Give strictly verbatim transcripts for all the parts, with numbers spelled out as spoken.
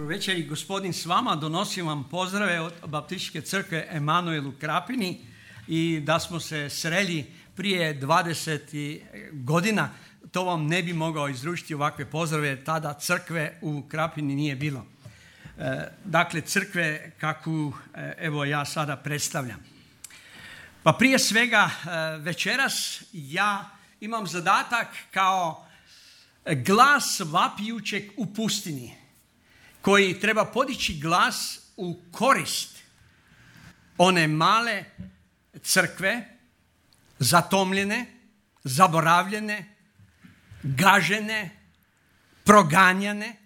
Dobro večer i gospodin s vama. Donosim vam pozdrave od Baptističke crkve Emanuel u Krapini i da smo se sreli prije dvadeset godina, to vam ne bi mogao izručiti ovakve pozdrave, tada crkve u Krapini nije bilo. E, dakle, crkve kakvu evo ja sada predstavljam. Pa prije svega večeras ja imam zadatak kao glas vapijućeg u pustini, koji treba podići glas u korist one male crkve, zatomljene, zaboravljene, gažene, proganjane.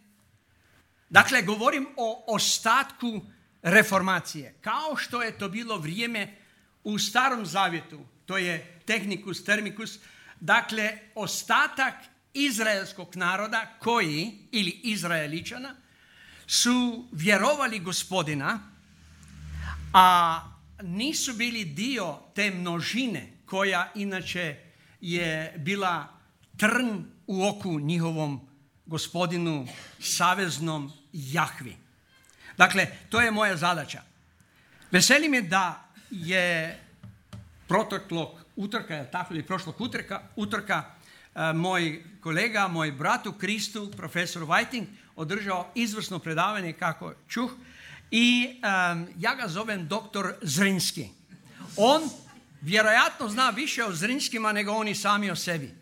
Dakle, govorim o ostatku reformacije, kao što je to bilo vrijeme u Starom Zavjetu, to je Technicus Termicus, dakle, ostatak izraelskog naroda koji, ili Izraeličana, su vjerovali Gospodina, a nisu bili dio te množine koja inače je bila trn u oku njihovom Gospodinu saveznom Jahvi. Dakle, to je moja zadaća. Veseli me da je proteklog utorka, tako ili prošlog utorka, utorka moj kolega, moj brat u Kristu, profesor Whiting, održao izvrsno predavanje, kako čuh, i um, ja ga zovem doktor Zrinski. On vjerojatno zna više o Zrinskima nego oni sami o sebi.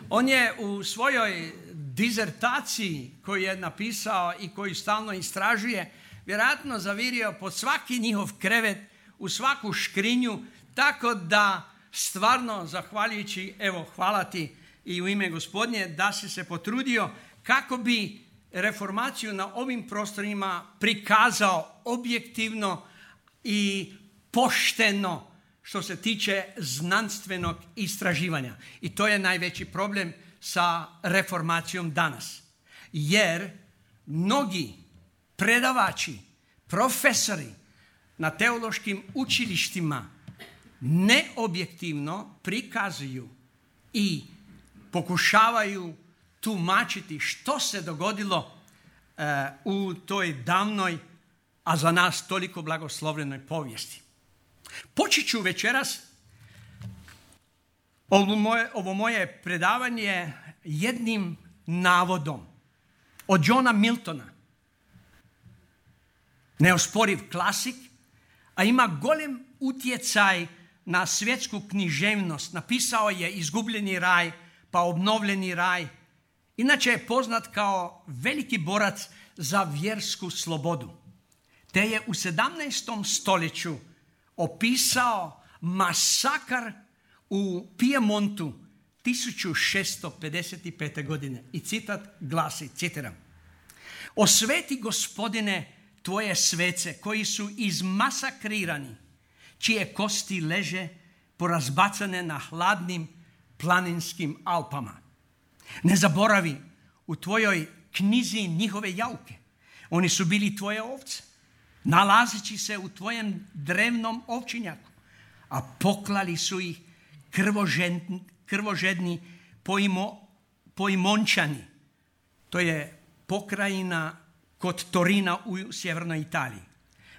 On je u svojoj dizertaciji koju je napisao i koju stalno istražuje, vjerojatno zavirio pod svaki njihov krevet, u svaku škrinju, tako da stvarno, zahvaljujući, evo, hvala ti i u ime Gospodnje, da si se potrudio kako bi reformaciju na ovim prostorima prikazao objektivno i pošteno što se tiče znanstvenog istraživanja. I to je najveći problem sa reformacijom danas. Jer mnogi predavači, profesori na teološkim učilištima neobjektivno prikazuju i pokušavaju tumačiti što se dogodilo uh, u toj davnoj, a za nas toliko blagoslovljenoj povijesti. Počet ću večeras ovo moje, ovo moje predavanje jednim navodom od Johna Miltona. Neosporiv klasik, a ima golem utjecaj na svjetsku književnost. Napisao je Izgubljeni raj, pa Obnovljeni raj. Inače je poznat kao veliki borac za vjersku slobodu. Te je u sedamnaestom stoljeću opisao masakar u Pijemontu tisuću šesto pedeset pete. godine. I citat glasi, citiram: "Osveti Gospodine tvoje svece koji su izmasakrirani, čije kosti leže porazbacane na hladnim planinskim Alpama. Ne zaboravi u tvojoj knjizi njihove jauke. Oni su bili tvoje ovce, nalazeći se u tvojem drevnom ovčinjaku, a poklali su ih krvožedni, krvožedni poimo, poimončani." To je pokrajina kod Torina u sjevernoj Italiji.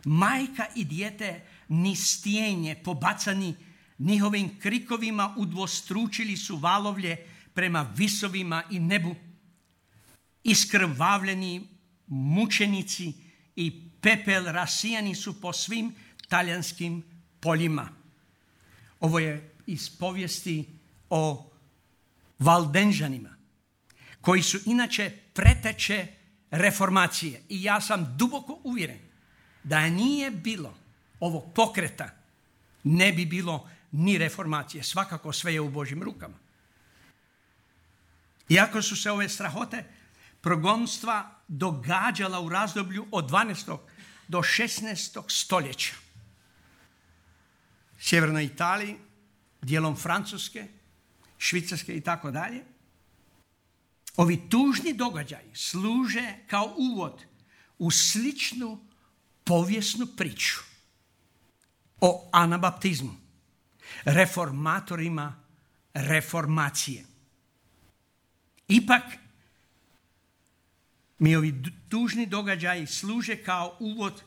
"Majka i dijete ni stijenje pobacani njihovim krikovima udvostručili su valovlje prema visovima i nebu. Iskrvavljeni mučenici i pepel rasijani su po svim talijanskim poljima." Ovo je iz povijesti o Valdenžanima, koji su inače preteče reformacije. I ja sam duboko uvjeren da nije bilo ovog pokreta, ne bi bilo ni reformacije. Svakako sve je u Božjim rukama. Iako su se ove strahote progonstva događala u razdoblju od dvanaestog do šesnaestog stoljeća. Sjevernoj Italiji, dijelom Francuske, Švicarske i tako dalje. Ovi tužni događaji služe kao uvod u sličnu povijesnu priču o anabaptizmu, reformatorima reformacije. Ipak, mi ovi tužni događaji služe kao uvod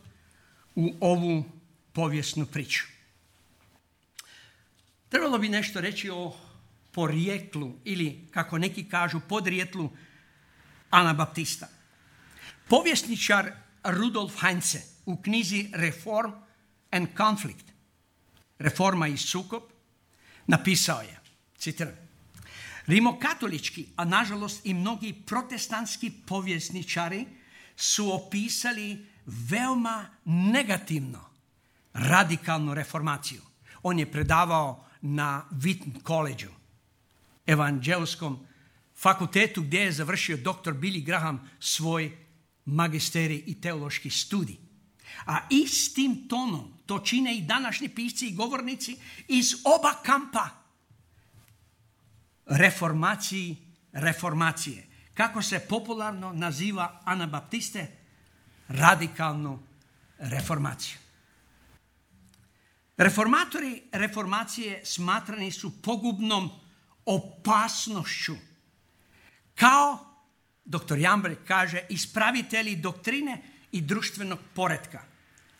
u ovu povijesnu priču. Trebalo bi nešto reći o porijeklu ili, kako neki kažu, podrijetlu Anabaptista. Povjesničar Rudolf Heinze u knjizi Reform and Conflict, Reforma i sukob, napisao je, citiram: rimokatolički, a nažalost i mnogi protestantski povjesničari su opisali veoma negativno radikalnu reformaciju. On je predavao na Wheaton College-u, evanđelskom fakultetu, gdje je završio doktor Billy Graham svoj magisterij i teološki studij. A istim tonom to čine i današnji pisci i govornici iz oba kampa reformaciji, reformacije. Kako se popularno naziva Anabaptiste? Radikalnu reformaciju. Reformatori reformacije smatrani su pogubnom opasnošću. Kao, doktor Jambrek kaže, ispravitelji doktrine i društvenog poretka.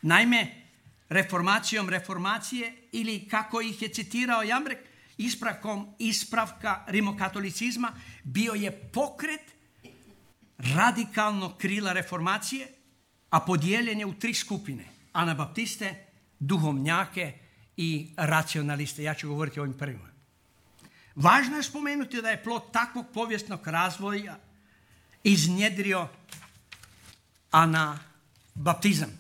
Naime, reformacijom reformacije, ili kako ih je citirao Jambrek, ispravkom ispravka rimokatolicizma, bio je pokret radikalnog krila reformacije, a podijeljen je u tri skupine: Anabaptiste, duhovnjake i racionaliste. Ja ću govoriti o ovim prvima. Važno je spomenuti da je plod takvog povijesnog razvoja iznjedrio anabaptizam,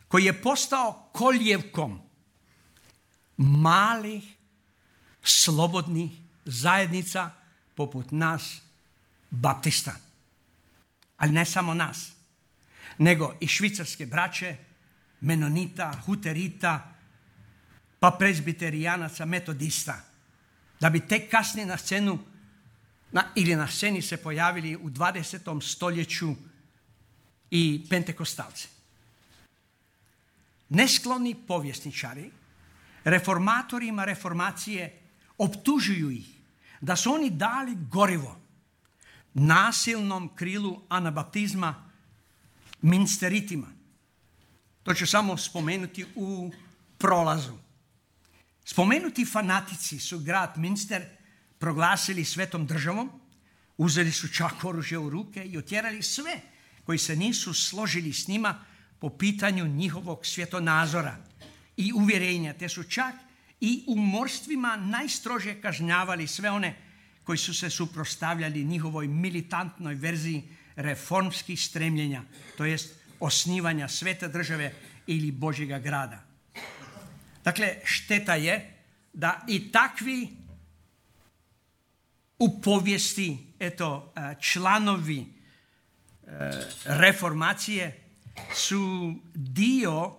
koji je postao kolijevkom malih, slobodnih zajednica poput nas, baptista. Ali ne samo nas, nego i švicarske braće, menonita, huterita, pa prezbiterijanaca, metodista, da bi tek kasnije na scenu na, ili na sceni se pojavili u dvadesetom stoljeću i pentekostalci. Neskloni povjesničari reformatorima reformacije optužuju ih da su oni dali gorivo nasilnom krilu anabaptizma, minsteritima. To ću samo spomenuti u prolazu. Spomenuti fanatici su grad Minster proglasili svetom državom, uzeli su čak oružje u ruke i otjerali sve koji se nisu složili s njima po pitanju njihovog svjetonazora i uvjerenja, te su čak i umorstvima najstrože kažnjavali sve one koji su se suprotstavljali njihovoj militantnoj verziji reformskih stremljenja, to jest osnivanja svete države ili Božjega grada. Dakle, šteta je da i takvi u povijesti, eto, članovi reformacije su dio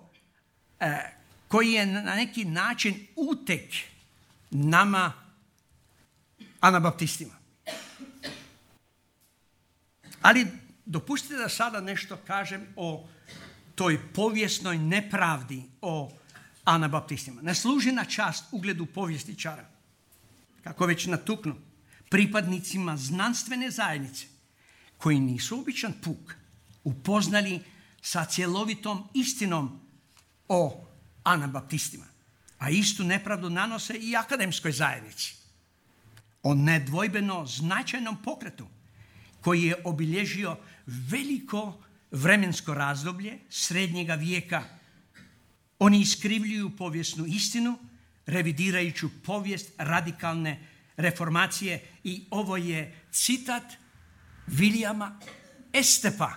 koji je na neki način utek nama anabaptistima. Ali dopustite da sada nešto kažem o toj povijesnoj nepravdi o anabaptistima. Ne služi na čast ugledu povjesničara, kako već natuknu, pripadnicima znanstvene zajednice, koji nisu običan puk upoznali sa cjelovitom istinom o anabaptistima, a istu nepravdu nanose i akademskoj zajednici, o nedvojbeno značajnom pokretu koji je obilježio veliko vremensko razdoblje srednjega vijeka. Oni iskrivljuju povijesnu istinu, revidirajući povijest radikalne reformacije, i ovo je citat Williama Estepa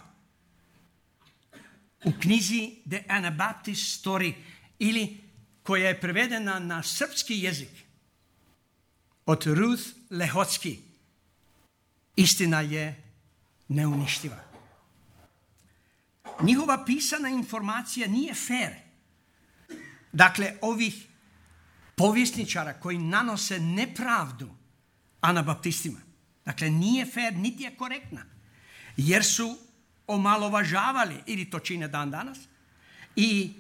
u knjizi The Anabaptist Story, ili koja je prevedena na srpski jezik od Ruth Lehotski. Istina je neuništiva. Njihova pisana informacija nije fair. Dakle, ovih povjesničara koji nanose nepravdu anabaptistima, dakle, nije fair niti je korektna, jer su omalovažavali, ili to čine dan danas, i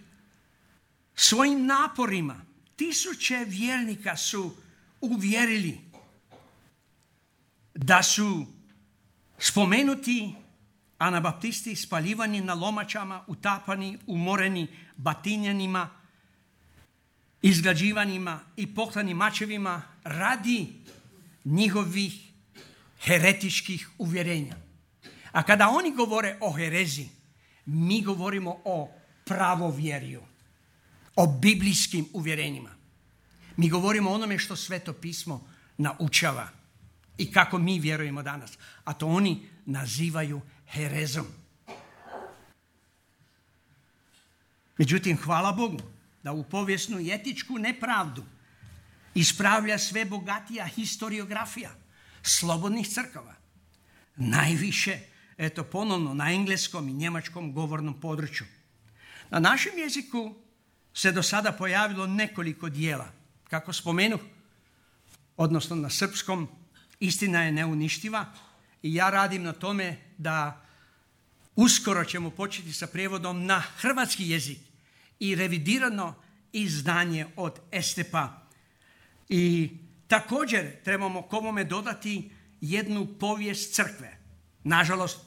svojim naporima tisuće vjernika su uvjerili da su spomenuti Anabaptisti spaljivani na lomačama, utapani, umoreni batinjanima, izgrađivanjima i poklanim mačevima radi njihovih heretičkih uvjerenja. A kada oni govore o herezi, mi govorimo o pravovjerju, o biblijskim uvjerenjima. Mi govorimo o onome što Sveto pismo naučava i kako mi vjerujemo danas. A to oni nazivaju herezom. Međutim, hvala Bogu da u povijesnu i etičku nepravdu ispravlja sve bogatija historiografija slobodnih crkava. Najviše, eto ponovno, na engleskom i njemačkom govornom području. Na našem jeziku se do sada pojavilo nekoliko dijela. Kako spomenuh, odnosno na srpskom, Istina je neuništiva i ja radim na tome da uskoro ćemo početi sa prijevodom na hrvatski jezik i revidirano izdanje od Estepa. I također trebamo komome dodati jednu povijest crkve. Nažalost,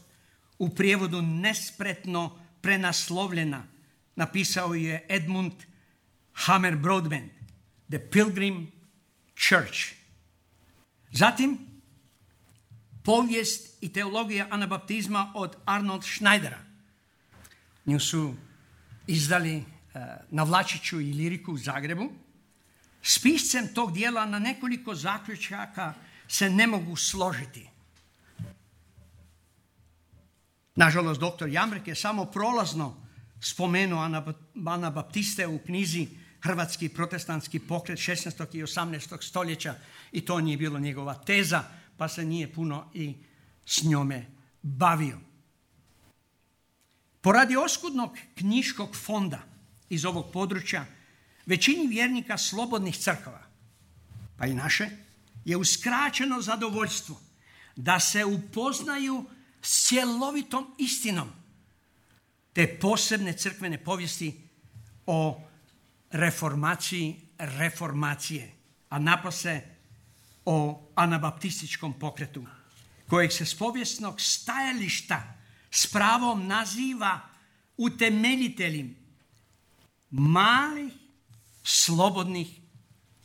u prijevodu nespretno prenaslovljena. Napisao je Edmund Hammer Broadbent, The Pilgrim Church. Zatim, povijest i teologija anabaptizma od Arnold Schneidera. Nju su izdali uh, na Vlačiću i Liriku u Zagrebu. S piscem tog dijela na nekoliko zaključaka se ne mogu složiti. Nažalost, doktor Jamrek je samo prolazno spomenuo anabaptiste u knjizi Hrvatski protestantski pokret šesnaestog i osamnaestog stoljeća i to nije bilo njegova teza, pa se nije puno i s njome bavio. Poradi oskudnog knjiškog fonda iz ovog područja, većini vjernika slobodnih crkava, pa i naše, je uskraćeno zadovoljstvo da se upoznaju s cjelovitom istinom te posebne crkvene povijesti o reformaciji reformacije, a napose o anabaptističkom pokretu, kojeg se s povijesnog stajališta s pravom naziva utemeljiteljem malih slobodnih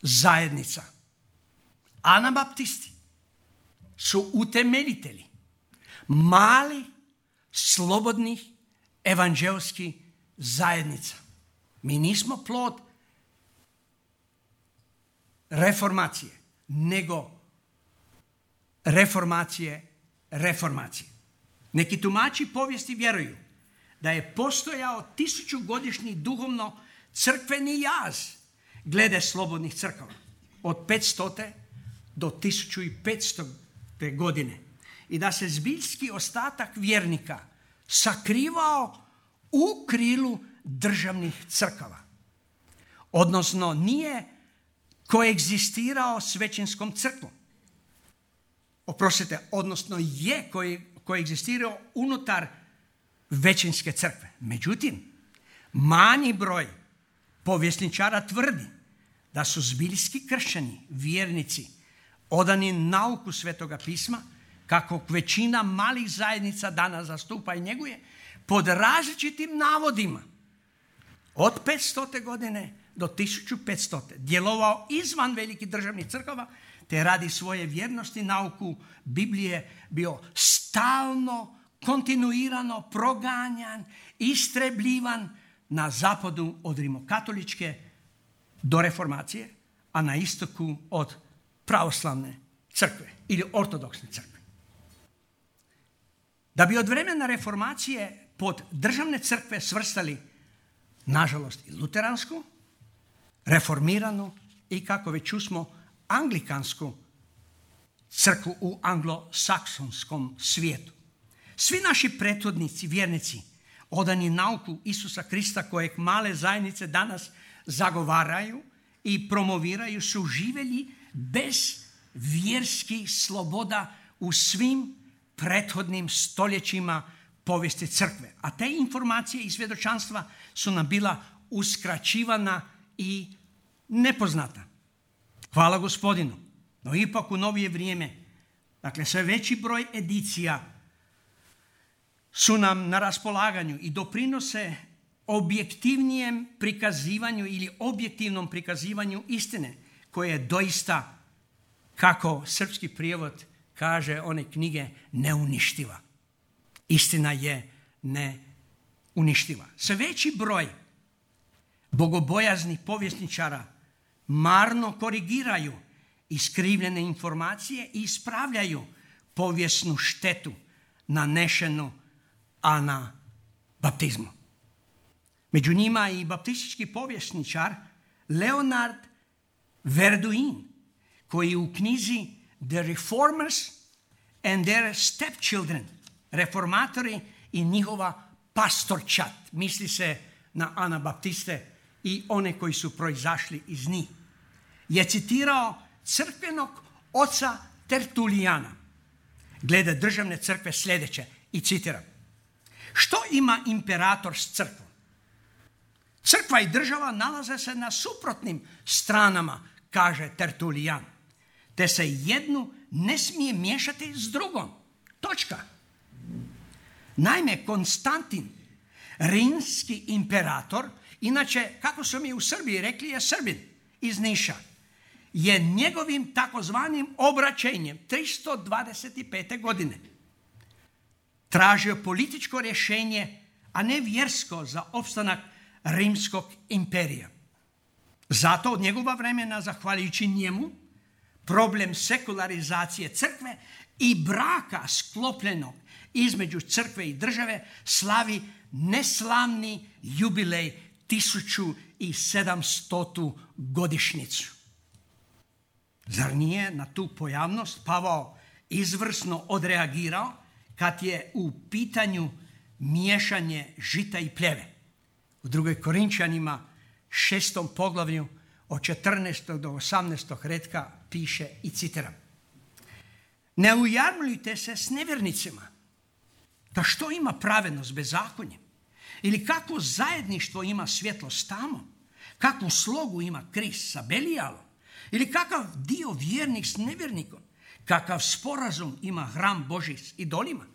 zajednica. Anabaptisti su utemeljitelji malih slobodnih evanđelskih zajednica. Mi nismo plod reformacije, nego reformacije reformacije. Neki tumači povijesti vjeruju da je postojao tisućugodišnji duhovno crkveni jaz glede slobodnih crkava od petstote do tisuću petstote godine i da se zbiljski ostatak vjernika sakrivao u krilu državnih crkava. Odnosno, nije koegzistirao s većinskom crkvom. Oprostite, odnosno je koegzistirao unutar većinske crkve. Međutim, manji broj povjesničara tvrdi da su zbiljski kršćani, vjernici, odani nauku Svetoga pisma, kako većina malih zajednica danas zastupa i njeguje, pod različitim navodima, od petstote godine do tisuću petstote djelovao izvan velikih državnih crkava, te radi svoje vjernosti nauku Biblije bio stalno, kontinuirano proganjan, istrebljivan na zapadu od rimokatoličke do reformacije, a na istoku od pravoslavne crkve ili ortodoksne crkve. Da bi od vremena reformacije pod državne crkve svrstali, nažalost, i luteransku, reformiranu i, kako već čusmo, anglikansku crkvu u anglosaksonskom svijetu. Svi naši prethodnici, vjernici, odani nauku Isusa Krista, kojeg male zajednice danas zagovaraju i promoviraju, su živjeli bez vjerskih sloboda u svim prethodnim stoljećima povijesti crkve. A te informacije i svjedočanstva su nam bila uskraćivana i nepoznata. Hvala Gospodinu. No ipak u novije vrijeme, dakle sve veći broj edicija su nam na raspolaganju i doprinose objektivnijem prikazivanju ili objektivnom prikazivanju istine, koje je doista, kako srpski prijevod kaže one knjige, neuništiva. Istina je neuništiva. Sve veći broj bogobojaznih povjesničara marno korigiraju iskrivljene informacije i ispravljaju povijesnu štetu nanešenu anabaptizmu. Među njima i baptistički povjesničar Leonard Verduin, koji u knjizi The Reformers and Their Stepchildren, reformatori i njihova pastorčat, misli se na anabaptiste i one koji su proizašli iz njih, je citirao crkvenog oca Tertulijana glede državne crkve sljedeće, i citiram: što ima imperator s crkvom? Crkva i država nalaze se na suprotnim stranama, kaže Tertulijan, te se jednu ne smije miješati s drugom. Točka. Naime, Konstantin, rimski imperator, inače, kako su mi u Srbiji rekli, je Srbin iz Niša, je njegovim takozvanim obraćenjem tristo dvadeset pete. godine tražio političko rješenje, a ne vjersko, za opstanak rimskog imperija. Zato od njegova vremena, zahvaljujući njemu, problem sekularizacije crkve i braka sklopljenog između crkve i države slavi neslavni jubilej tisuću sedamstotu godišnjicu. Zar nije na tu pojavnost Pavao izvrsno odreagirao kad je u pitanju miješanje žita i pljeve? U drugoj Korinčanima šestom poglavlju od četrnaestog do osamnaestog redka piše, i citiram: ne ujarmljujte se s nevjernicima. Da što ima pravednost bezakonjem? Ili kakvo zajedništvo ima svjetlo s tamom? Kakvu slogu ima Krist sa Belijalom? Ili kakav dio vjernik s nevjernikom? Kakav sporazum ima hram Božji s idolima?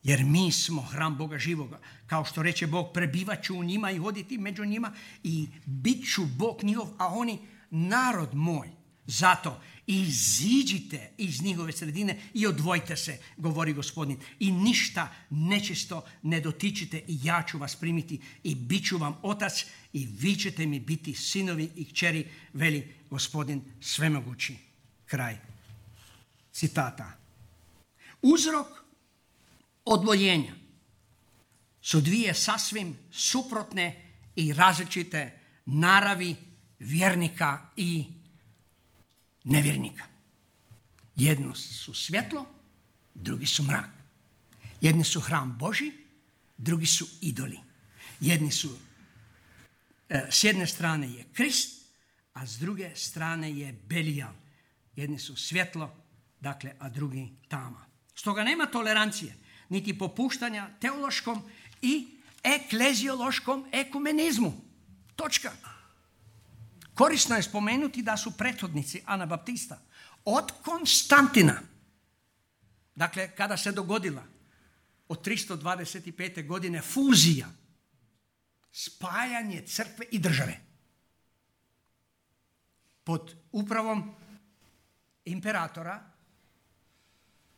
Jer mi smo hram Boga živoga. Kao što reče Bog, prebivat ću u njima i hoditi među njima i bit ću Bog njihov, a oni narod moj. Zato iziđite iz njihove sredine i odvojite se, govori Gospodin, i ništa nečisto ne dotičite, i ja ću vas primiti i bit ću vam otac i vi ćete mi biti sinovi i kćeri, veli Gospodin svemogući. Kraj citata. Uzrok odvojenja su dvije sasvim suprotne i različite naravi vjernika i nevjernika. Jedno su svjetlo, drugi su mrak. Jedni su hram Božji, drugi su idoli. Jedni su, s jedne strane je Krist, a s druge strane je Belijal. Jedni su svjetlo, dakle, a drugi tama. Stoga nema tolerancije, niti popuštanja teološkom i ekleziološkom ekumenizmu. Točka. Korisno je spomenuti da su prethodnici anabaptista od Konstantina, dakle, kada se dogodila od tristo dvadeset pete. godine fuzija, spajanje crkve i države pod upravom imperatora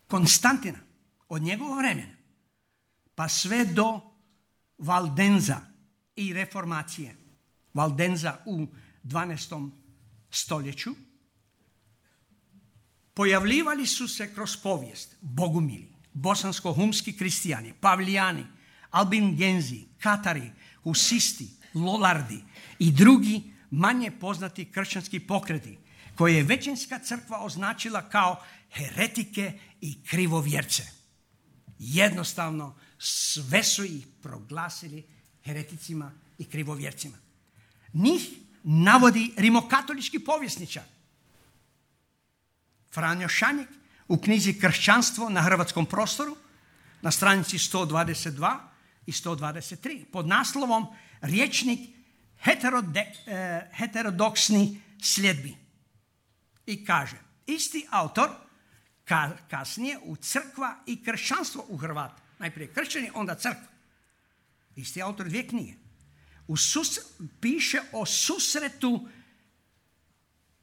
Konstantina, od njegovog vremena pa sve do Valdenza i reformacije. Valdenza u dvanaestom stoljeću, pojavljivali su se kroz povijest bogumili, bosansko-humski kristijani, pavlijani, albingenzi, katari, husisti, lolardi i drugi manje poznati kršćanski pokreti, koje je većinska crkva označila kao heretike i krivovjerce. Jednostavno sve su ih proglasili hereticima i krivovjercima. Njih navodi rimokatolički povjesničar Franjo Šanjek u knjizi Kršćanstvo na hrvatskom prostoru na stranici sto dvadeset dva i sto dvadeset tri pod naslovom Rječnik heterode, eh, heterodoksni sljedbi. I kaže, isti autor ka, kasnije u crkva i kršćanstvo u, Hrvat, Najprije kršćani, onda crkva. Isti autor dvije knjige. U sus, piše o susretu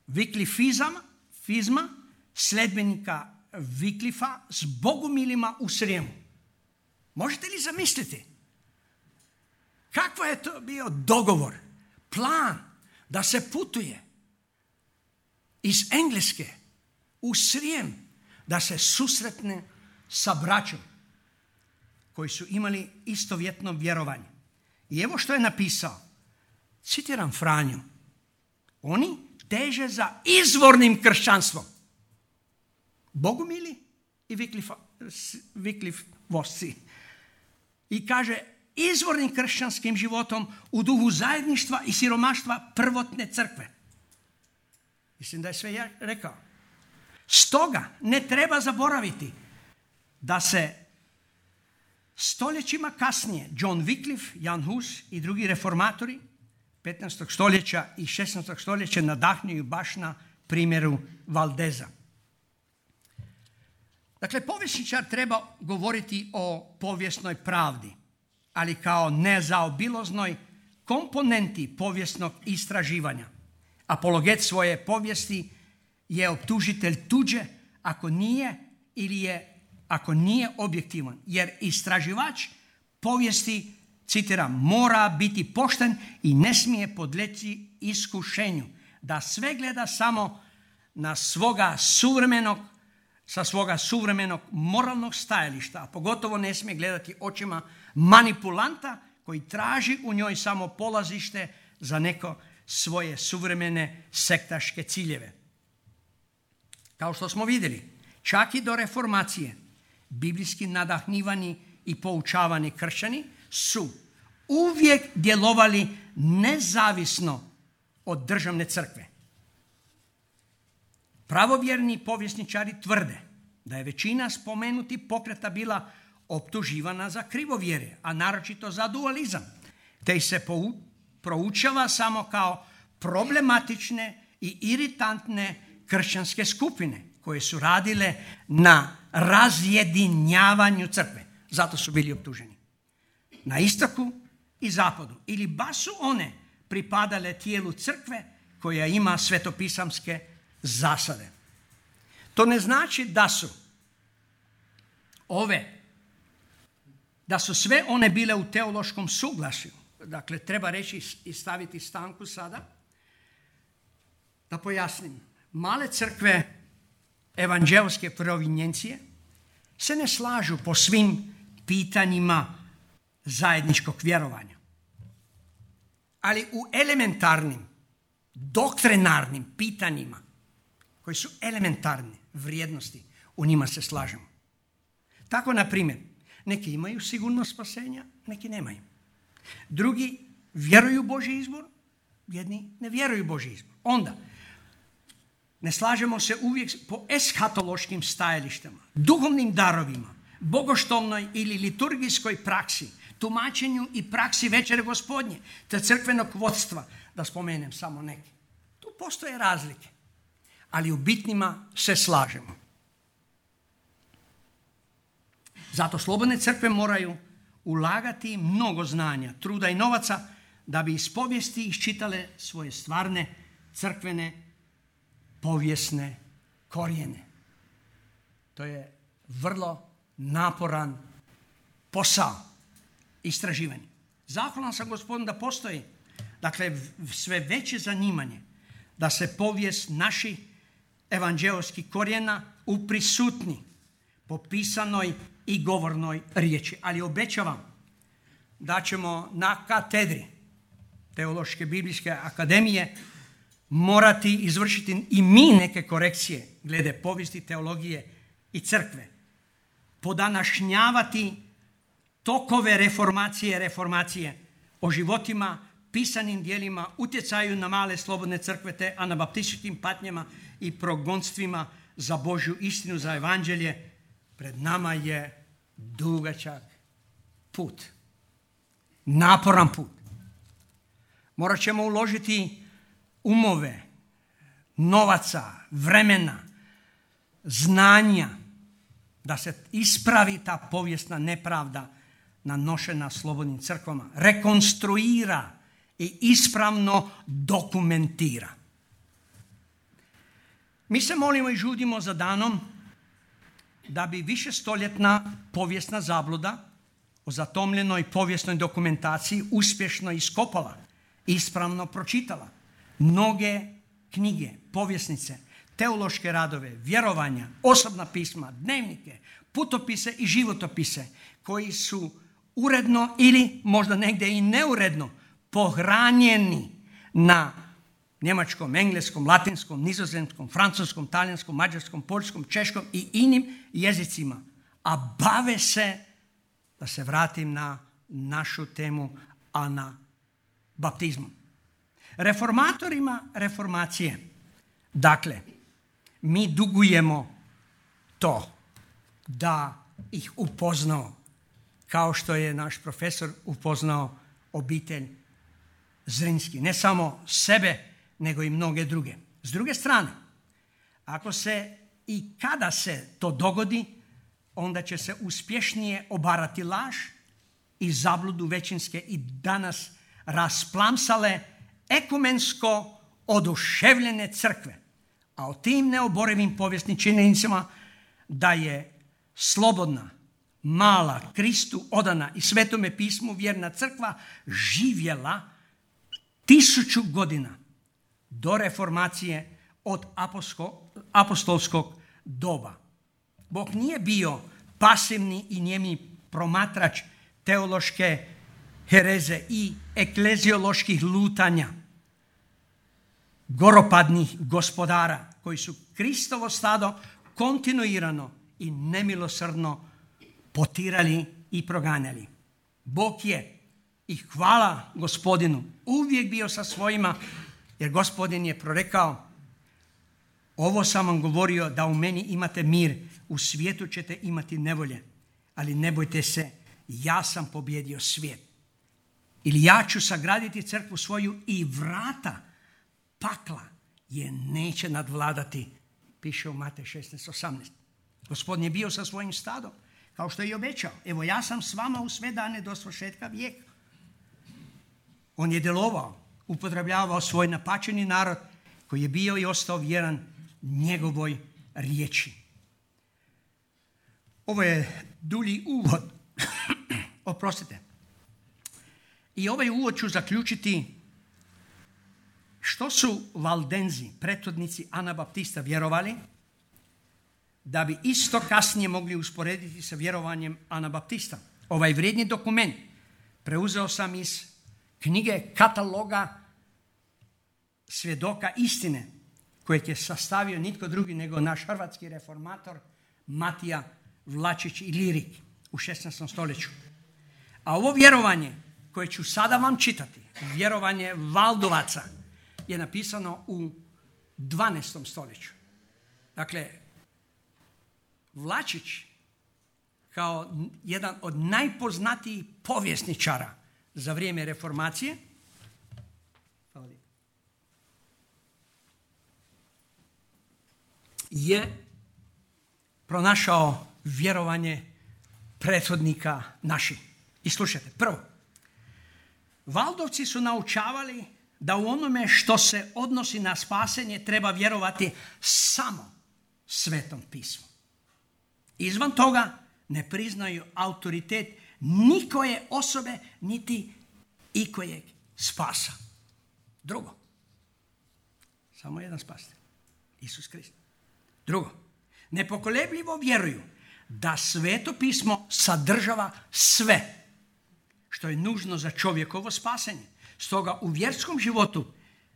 Viklifizama, fizma, sledbenika Viklifa s bogumilima u Srijemu. Možete li zamisliti? Kakva je to bio dogovor, plan da se putuje iz Engleske u Srijem, da se susretne sa braćom koji su imali istovjetno vjerovanje. I evo što je napisao. Citiram Franju. Oni teže za izvornim kršćanstvom. Bogumili i Viklifosci. I kaže, izvornim kršćanskim životom u duhu zajedništva i siromaštva prvotne crkve. Mislim da je sve ja rekao. Stoga ne treba zaboraviti da se stoljećima kasnije John Wycliffe, Jan Hus i drugi reformatori petnaestog stoljeća i šesnaestog stoljeća nadahnjuju baš na primjeru Valdeza. Dakle, povjesničar treba govoriti o povijesnoj pravdi, ali kao nezaobilaznoj komponenti povijesnog istraživanja. Apologet svoje povijesti je optužitelj tuđe ako nije ili je ako nije objektivan, jer istraživač povijesti, citiram, mora biti pošten i ne smije podleći iskušenju da sve gleda samo na svoga suvremenog, sa svoga suvremenog moralnog stajališta, a pogotovo ne smije gledati očima manipulanta koji traži u njoj samo polazište za neko svoje suvremene sektaške ciljeve. Kao što smo vidjeli, čak i do reformacije, biblijski nadahnivani i poučavani kršćani su uvijek djelovali nezavisno od državne crkve. Pravovjerni povjesničari tvrde da je većina spomenutih pokreta bila optuživana za krivovjere, a naročito za dualizam, te ih se proučava samo kao problematične i iritantne kršćanske skupine koje su radile na razjedinjavanju crkve. Zato su bili optuženi. Na istoku i zapadu. Ili baš su one pripadale tijelu crkve koja ima svetopisamske zasade. To ne znači da su ove, da su sve one bile u teološkom suglasju. Dakle, treba reći i staviti stanku sada. Da pojasnim. Male crkve evanđelske provinjencije se ne slažu po svim pitanjima zajedničkog vjerovanja. Ali u elementarnim, doktrinarnim pitanjima, koji su elementarne vrijednosti, u njima se slažemo. Tako, na primjer, neki imaju sigurnost spasenja, neki nemaju. Drugi vjeruju Božji izbor, jedni ne vjeruju Božji izbor. Onda, ne slažemo se uvijek po eshatološkim stajalištima, duhovnim darovima, bogoštovnoj ili liturgijskoj praksi, tumačenju i praksi večere Gospodnje, te crkvenog vodstva, da spomenem samo neke. Tu postoje razlike, ali u bitnima se slažemo. Zato slobodne crkve moraju ulagati mnogo znanja, truda i novaca da bi iz povijesti iščitale svoje stvarne crkvene povijesne korijene. To je vrlo naporan posao istraživanja. Zahvalan sam Gospodinu da postoji, dakle, sve veće zanimanje da se povijest naših evanđelskih korijena uprisutni po pisanoj i govornoj riječi. Ali obećavam da ćemo na katedri Teološke biblijske akademije morati izvršiti i mi neke korekcije glede povijesti, teologije i crkve. Podanašnjavati tokove reformacije, reformacije o životima, pisanim dijelima, utjecaju na male slobodne crkve te anabaptističkim patnjama i progonstvima za Božju istinu, za evanđelje. Pred nama je dugačak put. Naporan put. Morat ćemo uložiti umove, novaca, vremena, znanja da se ispravi ta povijesna nepravda nanošena slobodnim crkvama, rekonstruira i ispravno dokumentira. Mi se molimo i žudimo za danom da bi višestoljetna povijesna zabluda o zatomljenoj povijesnoj dokumentaciji uspješno iskopala, ispravno pročitala mnoge knjige, povjesnice, teološke radove, vjerovanja, osobna pisma, dnevnike, putopise i životopise koji su uredno ili možda negdje i neuredno pohranjeni na njemačkom, engleskom, latinskom, nizozemskom, francuskom, talijanskom, mađarskom, poljskom, češkom i inim jezicima, a bave se, da se vratim na našu temu, anabaptizmom. Reformatorima reformacije, dakle, mi dugujemo to da ih upoznao, kao što je naš profesor upoznao obitelj Zrinski. Ne samo sebe, nego i mnoge druge. S druge strane, ako se i kada se to dogodi, onda će se uspješnije obarati laž i zabludu većinske i danas rasplamsale ekumensko oduševljene crkve. A o tim neoborivim povijesnim činjenicama da je slobodna, mala, Kristu odana i Svetome pismu vjerna crkva živjela tisuću godina do reformacije od apostolskog doba. Bog nije bio pasivni i njemi promatrač teološke hereze i eklezioloških lutanja goropadnih gospodara koji su Kristovo stado kontinuirano i nemilosrdno potirali i proganjali. Bog je, i hvala Gospodinu, uvijek bio sa svojima, jer Gospodin je prorekao: ovo sam vam govorio da u meni imate mir, u svijetu ćete imati nevolje, ali ne bojte se, ja sam pobjedio svijet. Ili ja ću sagraditi crkvu svoju i vrata pakla je neće nadvladati, piše u Matej šesnaest osamnaest. Gospodin je bio sa svojim stadom, kao što je i obećao. Evo, ja sam s vama u sve dane do svršetka vijeka. On je djelovao, upotrebljavao svoj napačeni narod koji je bio i ostao vjeran njegovoj riječi. Ovo je dulji uvod. Oprostite. I ovaj uvod ću zaključiti što su Valdenzi, prethodnici Anabaptista, vjerovali, da bi isto kasnije mogli usporediti sa vjerovanjem Anabaptista. Ovaj vrijedni dokument preuzeo sam iz knjige kataloga svjedoka istine, kojeg je sastavio nitko drugi nego naš hrvatski reformator Matija Vlačić Ilirik u šesnaestom stoljeću. A ovo vjerovanje koje ću sada vam čitati, vjerovanje Valdovaca, je napisano u dvanaestom stoljeću. Dakle, Vlačić kao jedan od najpoznatijih povjesničara za vrijeme reformacije je pronašao vjerovanje prethodnika naših. I slušajte, prvo, Valdovci su naučavali da u onome što se odnosi na spasenje treba vjerovati samo Svetom pismu. Izvan toga ne priznaju autoritet nikoje osobe niti ikojeg spasa. Drugo, samo jedan spasitelj, Isus Krist. Drugo, nepokolebljivo vjeruju da Sveto pismo sadržava sve što je nužno za čovjekovo spasenje. Stoga u vjerskom životu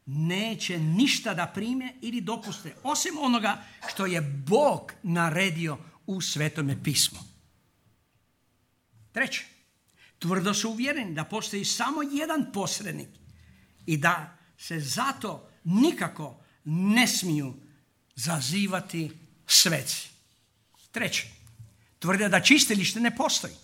neće ništa da prime ili dopuste, osim onoga što je Bog naredio u Svetome pismu. Treće, tvrdo su uvjereni da postoji samo jedan posrednik i da se zato nikako ne smiju zazivati sveci. Treće, tvrde da čistilište ne postoji,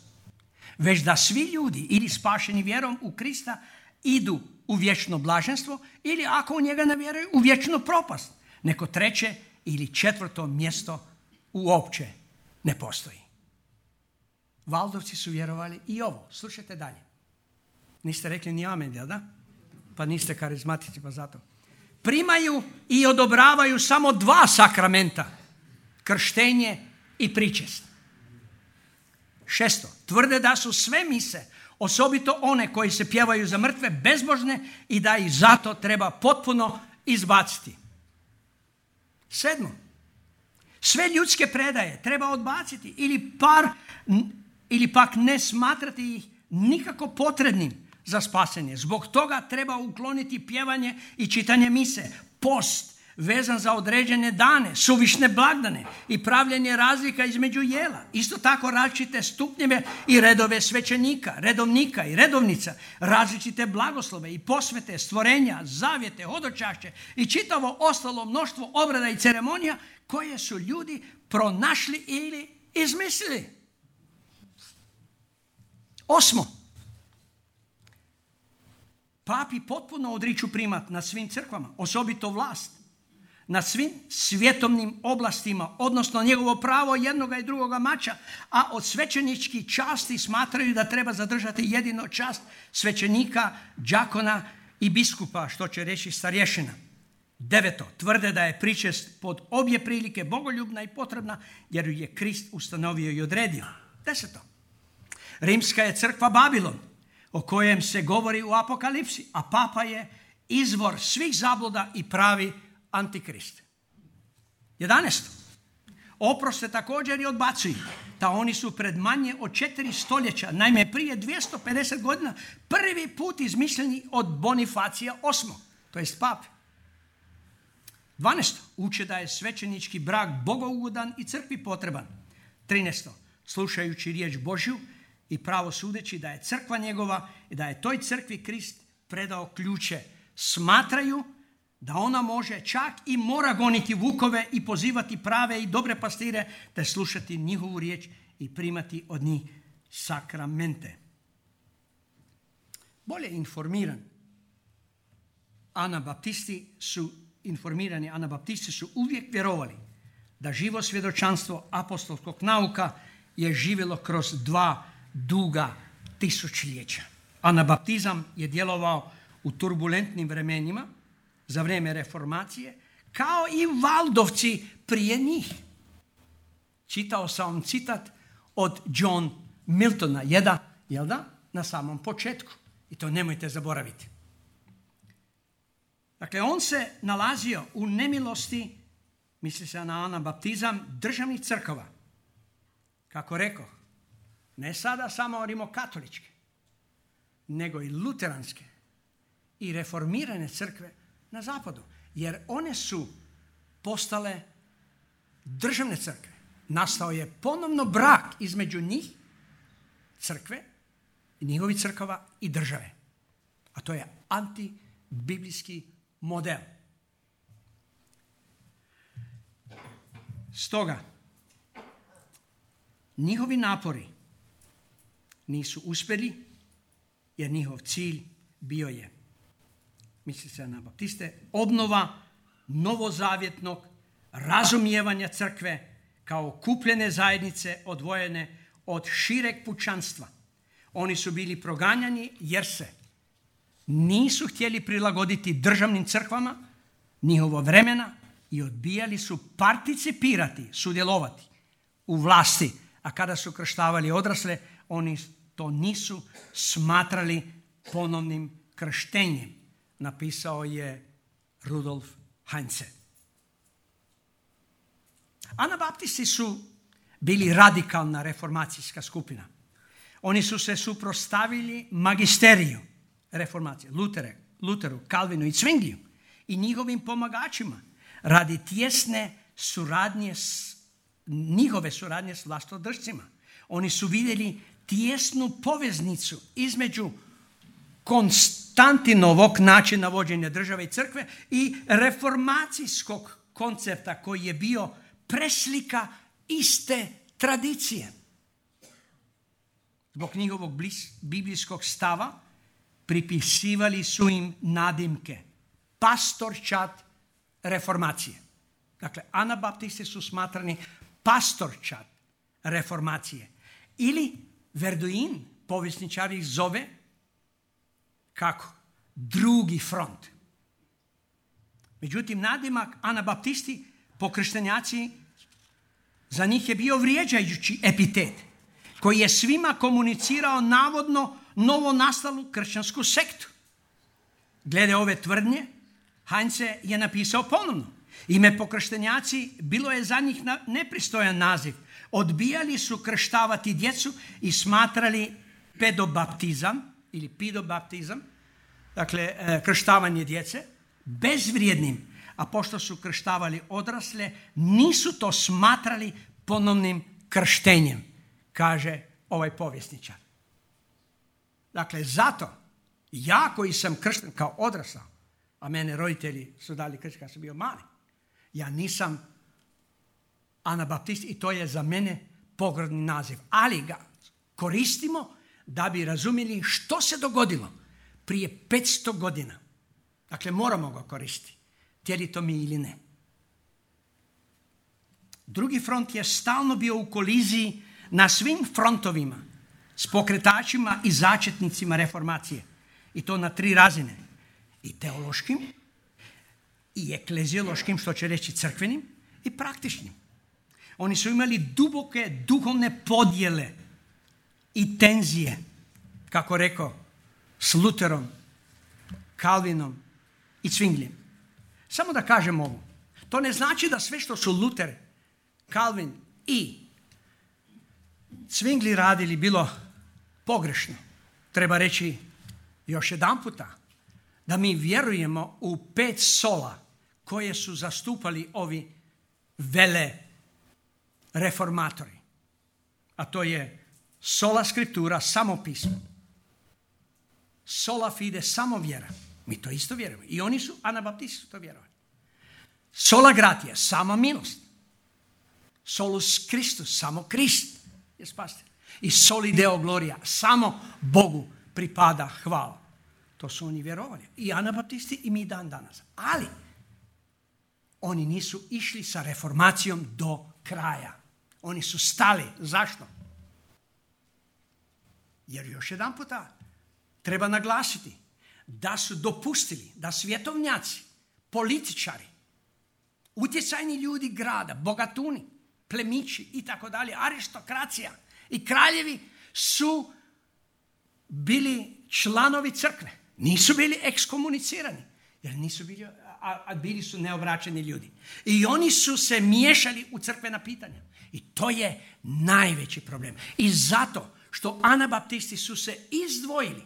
već da svi ljudi ili spašeni vjerom u Krista idu u vječno blaženstvo ili ako u njega ne vjeruju u vječnu propast. Neko treće ili četvrto mjesto uopće ne postoji. Valdovci su vjerovali i ovo. Slušajte dalje. Niste rekli ni amen, jel da? Pa niste karizmatici, pa zato. Primaju i odobravaju samo dva sakramenta. Krštenje i pričest. Šesto. Tvrde da su sve mise, osobito one koji se pjevaju za mrtve, bezbožne i da ih zato treba potpuno izbaciti. Sedmo. Sve ljudske predaje treba odbaciti ili, par, ili pak ne smatrati ih nikako potrebnim za spasenje. Zbog toga treba ukloniti pjevanje i čitanje mise, post vezan za određene dane, suvišne blagdane i pravljenje razlika između jela. Isto tako različite stupnjeve i redove svećenika, redovnika i redovnica, različite blagoslove i posvete, stvorenja, zavjete, hodočašće i čitavo ostalo mnoštvo obreda i ceremonija koje su ljudi pronašli ili izmislili. Osmo. Papi potpuno odriču primat nad svim crkvama, osobito vlast, nad svim svjetovnim oblastima, odnosno njegovo pravo jednoga i drugoga mača, a od svećeničkih časti smatraju da treba zadržati jedino čast svećenika, đakona i biskupa, što će reći starješina. Deveto. Tvrde da je pričest pod obje prilike bogoljubna i potrebna, jer ju je Krist ustanovio i odredio. Deseto. Rimska je crkva Babilon, o kojem se govori u Apokalipsi, a papa je izvor svih zabluda i pravi antikrist. Jedanaesto. Oprost se također i odbacuju, da oni su pred manje od četiri stoljeća, naime prije dvjesto pedeset godina, prvi put izmišljeni od Bonifacija osmog, to jest pape. Dvanaesto. Uče da je svećenički brak bogougodan i crkvi potreban. Trinaesto. Slušajući riječ Božju i pravo sudeći da je crkva njegova i da je toj crkvi Krist predao ključe, smatraju da ona može čak i mora goniti vukove i pozivati prave i dobre pastire, te slušati njihovu riječ i primati od njih sakramente. Bolje informiran Anabaptisti su informirani Anabaptisti su uvijek vjerovali da živo svjedočanstvo apostolskog nauka je živjelo kroz dva duga tisućljeća. Anabaptizam je djelovao u turbulentnim vremenima za vrijeme reformacije, kao i Valdovci prije njih. Čitao sam vam citat od John Miltona, jedan, jel da, na samom početku. I to nemojte zaboraviti. Dakle, on se nalazio u nemilosti, misli se na anabaptizam, državnih crkava. Kako rekao, ne sada samo rimokatoličke, nego i luteranske i reformirane crkve na zapadu. Jer one su postale državne crkve. Nastao je ponovno brak između njih, crkve, njihovih crkava i države. A to je antibiblijski model. Stoga, njihovi napori nisu uspjeli, jer njihov cilj bio je, misli se na baptiste, obnova novozavjetnog razumijevanja crkve kao kupljene zajednice odvojene od šireg pučanstva. Oni su bili proganjani jer se nisu htjeli prilagoditi državnim crkvama njihovo vremena i odbijali su participirati, sudjelovati u vlasti. A kada su krštavali odrasle, oni to nisu smatrali ponovnim krštenjem. Napisao je Rudolf Heinze. Anabaptisti su bili radikalna reformacijska skupina. Oni su se suprotstavili magisteriju reformacije, Lutere, Luteru, Kalvinu i Zwingliju i njihovim pomagačima radi tjesne suradnje s, njihove suradnje s vlastodržcima. Oni su vidjeli tijesnu poveznicu između Konstantinovog načina vođenja države i crkve i reformacijskog koncepta koji je bio preslika iste tradicije. Zbog njihovog blis, biblijskog stava pripisivali su im nadimke pastorčad reformacije. Dakle, anabaptisti su smatrani pastorčad reformacije. Ili Verduin, povjesničar ih zove, kako? Drugi front. Međutim, nadimak anabaptisti, pokrštenjaci, za njih je bio vrijeđajući epitet, koji je svima komunicirao navodno novo nastalu kršćansku sektu. Glede ove tvrdnje, Heinze je napisao ponovno: ime pokrštenjaci bilo je za njih nepristojan naziv. Odbijali su krštavati djecu i smatrali pedobaptizam ili pidobaptizam, dakle krštavanje djece, bezvrijednim, a pošto su krštavali odrasle, nisu to smatrali ponovnim krštenjem, kaže ovaj povjesničar. Dakle, zato ja koji sam kršten kao odrasao, a mene roditelji su dali krst kad sam bio mali, ja nisam anabaptist i to je za mene pogrdni naziv. Ali ga koristimo da bi razumjeli što se dogodilo prije petsto godina. Dakle, moramo ga koristiti, htjeli to mi ili ne. Drugi front je stalno bio u koliziji na svim frontovima s pokretačima i začetnicima reformacije. I to na tri razine. I teološkim, i ekleziološkim, što će reći crkvenim, i praktičnim. Oni su imali duboke duhovne podjele i tenzije, kako rekao, s Luterom, Kalvinom i Zwinglijem. Samo da kažem ovo. To ne znači da sve što su Luter, Kalvin i Zwingli radili bilo pogrešno. Treba reći još jedan puta da mi vjerujemo u pet sola koje su zastupali ovi vele reformatori. A to je sola scriptura, samo pismo. Sola fide, samo vjera. Mi to isto vjerujemo. I oni su, anabaptisti su to vjerovali. Sola gratia, sama milost. Solus Christus, samo Krist je spasitelj. I soli deo gloria, samo Bogu pripada hvala. To su oni vjerovali. I anabaptisti i mi dan danas. Ali oni nisu išli sa reformacijom do kraja. Oni su stali. Zašto? Jer još jedan puta treba naglasiti da su dopustili da svjetovnjaci, političari, utjecajni ljudi grada, bogatuni, plemići i tako dalje, aristokracija i kraljevi su bili članovi crkve. Nisu bili ekskomunicirani, jer nisu bili, a, a bili su neobraćeni ljudi. I oni su se miješali u crkvena pitanja. I to je najveći problem. I zato što anabaptisti su se izdvojili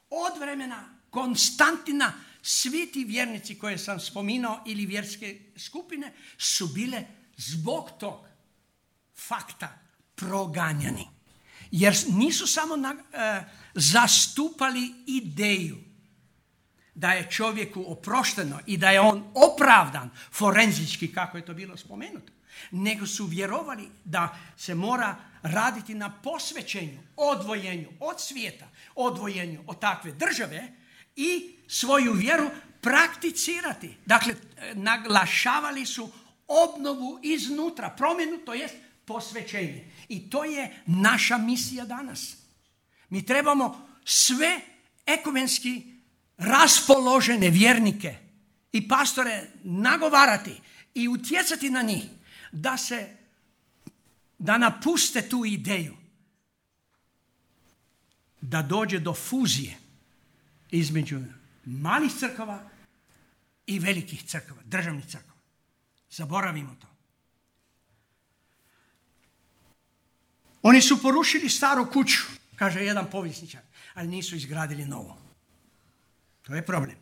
od vremena Konstantina, svi ti vjernici koje sam spominao ili vjerske skupine su bile zbog tog fakta proganjani. Jer nisu samo na, e, zastupali ideju da je čovjeku oprošteno i da je on opravdan forenzički, kako je to bilo spomenuto, nego su vjerovali da se mora raditi na posvećenju, odvojenju od svijeta, odvojenju od takve države i svoju vjeru prakticirati. Dakle, naglašavali su obnovu iznutra, promjenu, to jest posvećenje. I to je naša misija danas. Mi trebamo sve ekumenski raspoložene vjernike i pastore nagovarati i utjecati na njih da se, da napuste tu ideju, da dođe do fuzije između malih crkava i velikih crkava, državnih crkava. Zaboravimo to. Oni su porušili staru kuću, kaže jedan povjesničar, ali nisu izgradili novu. To je problem.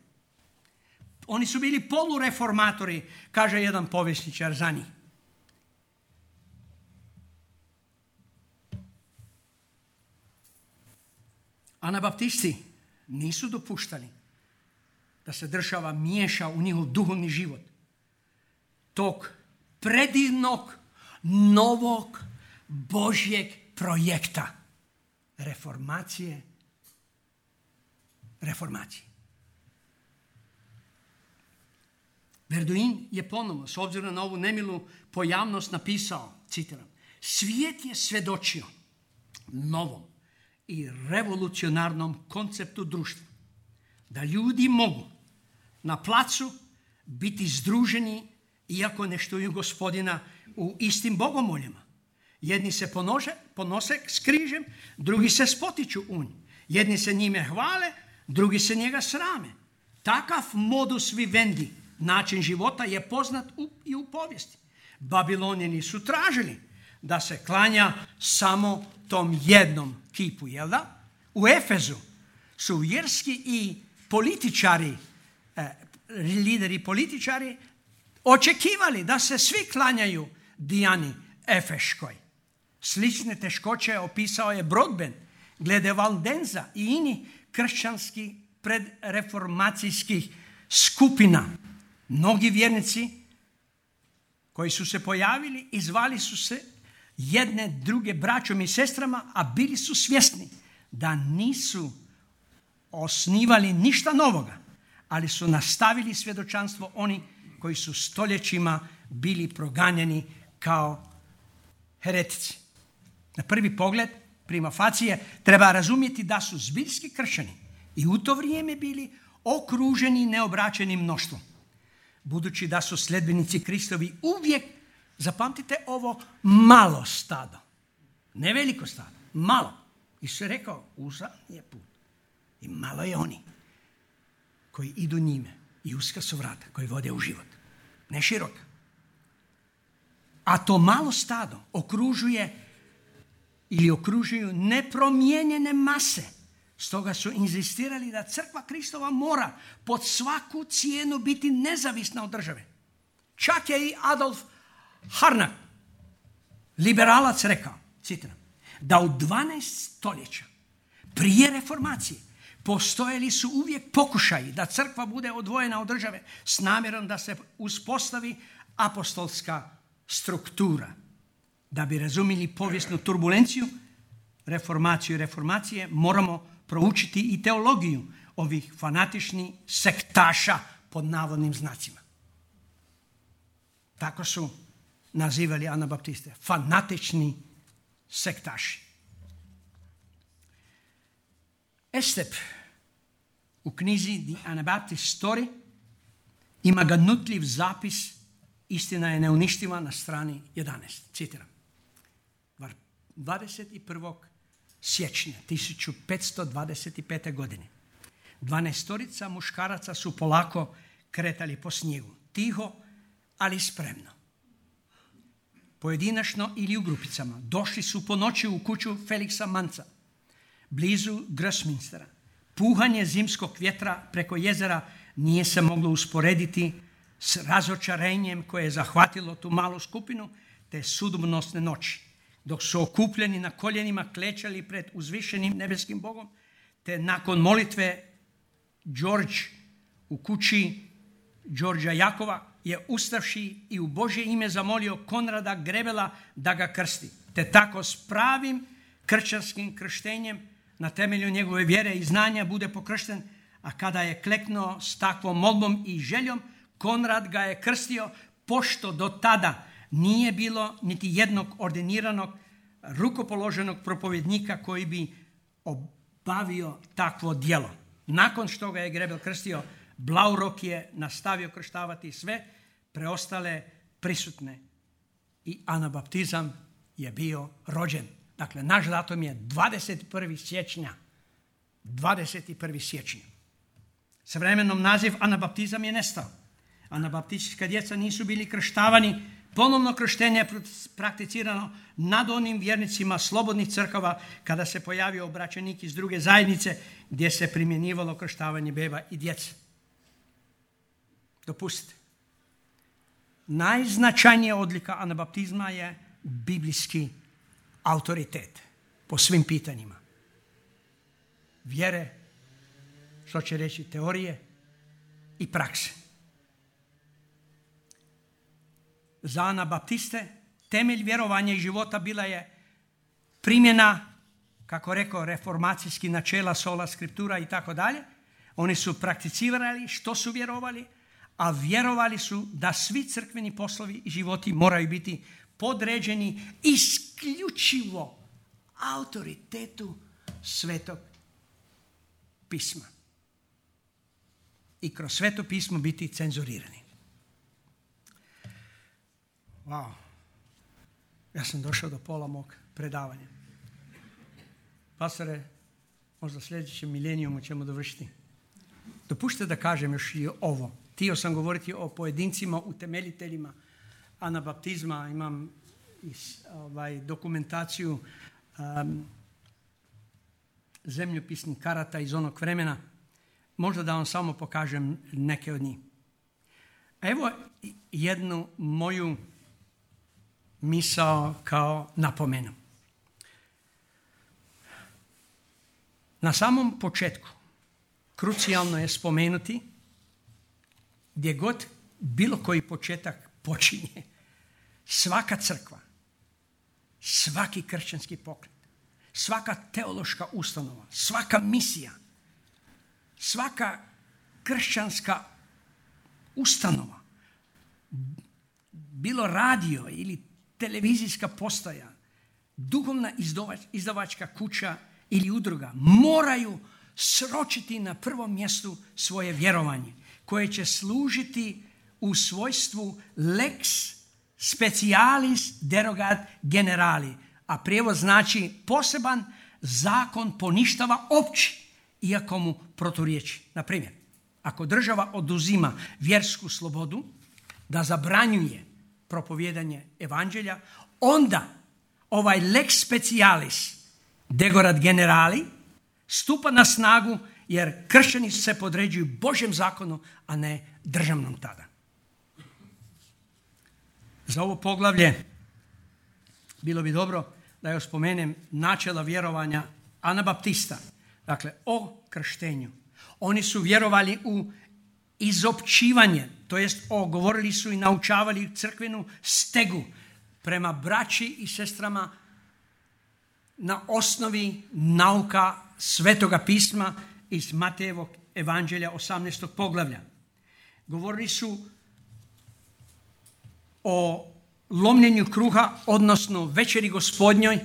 Oni su bili polureformatori, kaže jedan povjesničar za njih. Anabaptisti nisu dopuštali da se država miješa u njihov duhovni život tog predivnog, novog, Božjeg projekta reformacije, reformacije. Verduin je ponovno, s obzirom na ovu nemilu pojavnost, napisao, citiram, Svijet je svjedočio novom i revolucionarnom konceptu društva. Da ljudi mogu na placu biti združeni iako ne štuju Gospodina u istim bogomoljama. Jedni se ponože, ponose s križem, drugi se spotiču u njih. Jedni se njime hvale, drugi se njega srame. Takav modus vivendi, način života, je poznat u, i u povijesti. Babilonjani su tražili da se klanja samo tom jednom kipu, jel da? U Efezu su vjerski i političari, eh, lideri političari, očekivali da se svi klanjaju Dijani Efeškoj. Slične teškoće opisao je Broadbent glede Valdenza i inih kršćanskih predreformacijskih skupina. Mnogi vjernici koji su se pojavili i zvali su se jedne druge braćom i sestrama, a bili su svjesni da nisu osnivali ništa novoga, ali su nastavili svjedočanstvo oni koji su stoljećima bili proganjani kao heretici. Na prvi pogled, prima facie, treba razumjeti da su zbiljski kršćani i u to vrijeme bili okruženi neobraćenim mnoštvom. Budući da su sljedbenici Kristovi uvijek, zapamtite ovo, malo stado. Ne veliko stado, malo. Isus je rekao, uzan je put. I malo je oni koji idu njime. I uska su vrata koji vode u život. Ne široka. A to malo stado okružuje ili okružuju nepromijenjene mase. Stoga su inzistirali da crkva Kristova mora pod svaku cijenu biti nezavisna od države. Čak je i Adolf Harnack, liberalac, rekao, citiram, da u dvanaest stoljeća prije reformacije postojali su uvijek pokušaji da crkva bude odvojena od države s namjerom da se uspostavi apostolska struktura. Da bi razumjeli povijesnu turbulenciju, reformaciju i reformacije, moramo proučiti i teologiju ovih fanatičnih sektaša pod navodnim znacima. Tako su nazivali anabaptiste. Fanatični sektaši. Estep u knjizi The Anabaptist Story ima ganutljiv zapis Istina je neuništiva na strani jedanaest. Citiram. dvadeset prvog siječnja tisuću petsto dvadeset pete. godine dvanaestorica muškaraca su polako kretali po snijegu. Tiho, ali spremno. Pojedinačno ili u grupicama. Došli su po noći u kuću Feliksa Manca, blizu Grosminstera. Puhanje zimskog vjetra preko jezera nije se moglo usporediti s razočarenjem koje je zahvatilo tu malu skupinu te sudbonosne noći, dok su okupljeni na koljenima klečali pred uzvišenim nebeskim Bogom, te nakon molitve George u kući Đorđa Jakova je ustavši i u Božje ime zamolio Konrada Grebela da ga krsti, te tako s pravim kršćanskim krštenjem na temelju njegove vjere i znanja bude pokršten, a kada je kleknuo s takvom molbom i željom, Konrad ga je krstio, pošto do tada nije bilo niti jednog ordiniranog rukopoloženog propovjednika koji bi obavio takvo djelo. Nakon što ga je Grebel krstio, Blaurok je nastavio krštavati sve preostale prisutne i anabaptizam je bio rođen. Dakle, naš datum je dvadeset prvog siječnja. dvadeset prvog siječnja. S vremenom naziv anabaptizam je nestao. Anabaptistička djeca nisu bili krštavani. Ponovno krštenje je prakticirano nad onim vjernicima slobodnih crkava kada se pojavio obraćenik iz druge zajednice gdje se primjenjivalo krštavanje beba i djece. Dopustite. Najznačajnija odlika anabaptizma je biblijski autoritet po svim pitanjima. Vjere, što će reći teorije i prakse. Za anabaptiste temelj vjerovanja i života bila je primjena, kako rekao, reformacijskih načela, sola scriptura i tako dalje. Oni su prakticirali što su vjerovali, a vjerovali su da svi crkveni poslovi i životi moraju biti podređeni isključivo autoritetu Svetog pisma. I kroz Sveto pismo biti cenzurirani. Wow. Ja sam došao do pola mog predavanja. Pastore, možda sljedećem milenijumu ćemo dovršiti. Dopušte da kažem još i ovo. Htio sam govoriti o pojedincima, utemeljiteljima anabaptizma. Imam is, ovaj, dokumentaciju um, zemljopisnih karata iz onog vremena. Možda da vam samo pokažem neke od njih. Evo jednu moju misao kao napomenu. Na samom početku krucijalno je spomenuti gdje god bilo koji početak počinje, svaka crkva, svaki kršćanski pokret, svaka teološka ustanova, svaka misija, svaka kršćanska ustanova, bilo radio ili televizijska postaja, duhovna izdavačka kuća ili udruga moraju sročiti na prvom mjestu svoje vjerovanje koje će služiti u svojstvu lex specialis derogat generali, a prijevod znači poseban zakon poništava opći, iako mu proturječi. Na primjer, ako država oduzima vjersku slobodu da zabranjuje propovijedanje evanđelja, onda ovaj lex specialis derogat generali stupa na snagu jer kršćani se podređuju Božjem zakonu, a ne državnom tada. Za ovo poglavlje bilo bi dobro da još spomenem načela vjerovanja anabaptista. Dakle, o krštenju. Oni su vjerovali u izopćivanje, to jest o, govorili su i naučavali crkvenu stegu prema braći i sestrama na osnovi nauka Svetoga pisma iz Matejevog evanđelja osamnaestog poglavlja. Govorili su o lomljenju kruha, odnosno večeri gospodnjoj,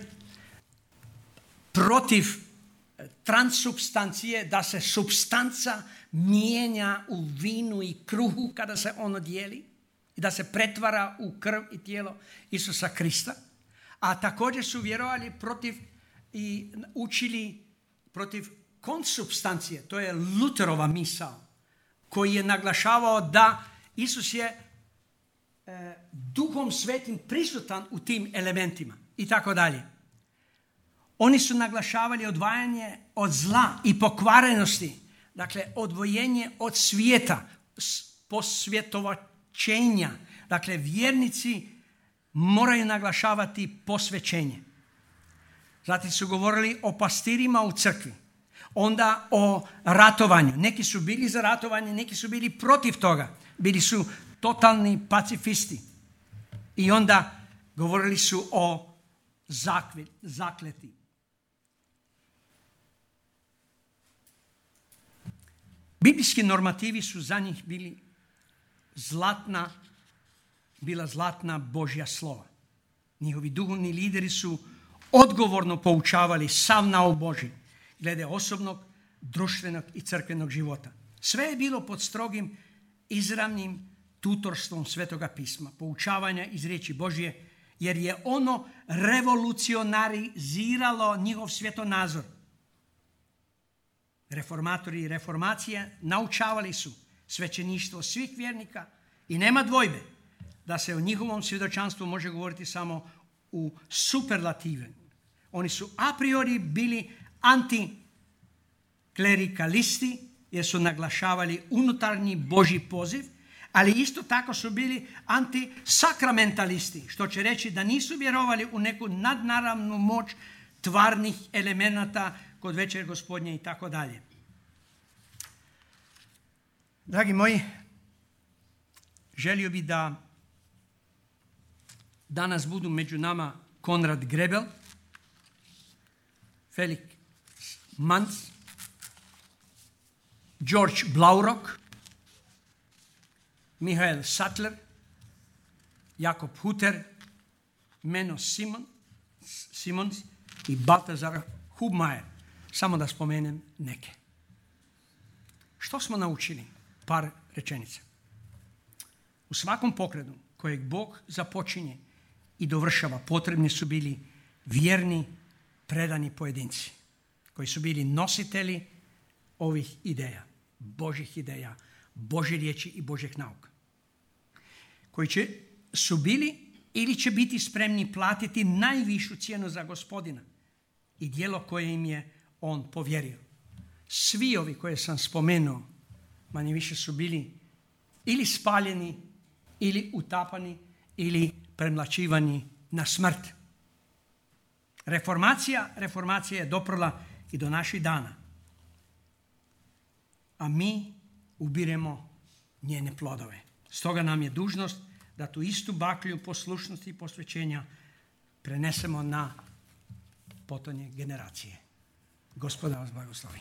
protiv transsubstancije, da se substanca mijenja u vinu i kruhu kada se ono dijeli i da se pretvara u krv i tijelo Isusa Krista. A također su vjerovali protiv i učili protiv konsubstancije. To je Luterova misao koji je naglašavao da Isus je e, Duhom Svetim prisutan u tim elementima i tako dalje. Oni su naglašavali odvajanje od zla i pokvarenosti, dakle odvojenje od svijeta, posvjetovačenja. Dakle, vjernici moraju naglašavati posvećenje. Zatim su govorili o pastirima u crkvi, onda o ratovanju. Neki su bili za ratovanje, neki su bili protiv toga. Bili su totalni pacifisti. I onda govorili su o zakleti. Biblijski normativi su za njih bili zlatna, bila zlatna Božja slova. Njihovi duhovni lideri su odgovorno poučavali sav nauk Božji glede osobnog, društvenog i crkvenog života. Sve je bilo pod strogim, izravnim tutorstvom Svetoga pisma, poučavanja iz riječi Božje, jer je ono revolucionariziralo njihov svjetonazor. Reformatori i reformacije naučavali su svećeništvo svih vjernika i nema dvojbe da se o njihovom svjedočanstvu može govoriti samo u superlativu. Oni su a priori bili antiklerikalisti jer su naglašavali unutarnji Božji poziv, ali isto tako su bili antisakramentalisti, što će reći da nisu vjerovali u neku nadnaravnu moć tvarnih elemenata kod večer gospodnje i tako dalje. Dragi moji, želio bih da danas budu među nama Konrad Grebel, Felix Manz, George Blaurock, Michael Sattler, Jakob Hutter, Meno Simon, Simons i Baltazar Hubmajer. Samo da spomenem neke. Što smo naučili? Par rečenica. U svakom pokretu kojeg Bog započinje i dovršava, potrebni su bili vjerni, predani pojedinci koji su bili nositelji ovih ideja, Božih ideja, Božje riječi i Božjeg nauka. Koji će, su bili ili će biti spremni platiti najvišu cijenu za Gospodina i djelo koje im je on povjerio. Svi ovi koje sam spomenuo, manje više su bili ili spaljeni, ili utapani, ili premlaćivani na smrt. Reformacija, reformacija je doprla i do naših dana. A mi ubiremo njene plodove. Stoga nam je dužnost da tu istu baklju poslušnosti i posvećenja prenesemo na potonje generacije. Gospoda vas blagoslovi.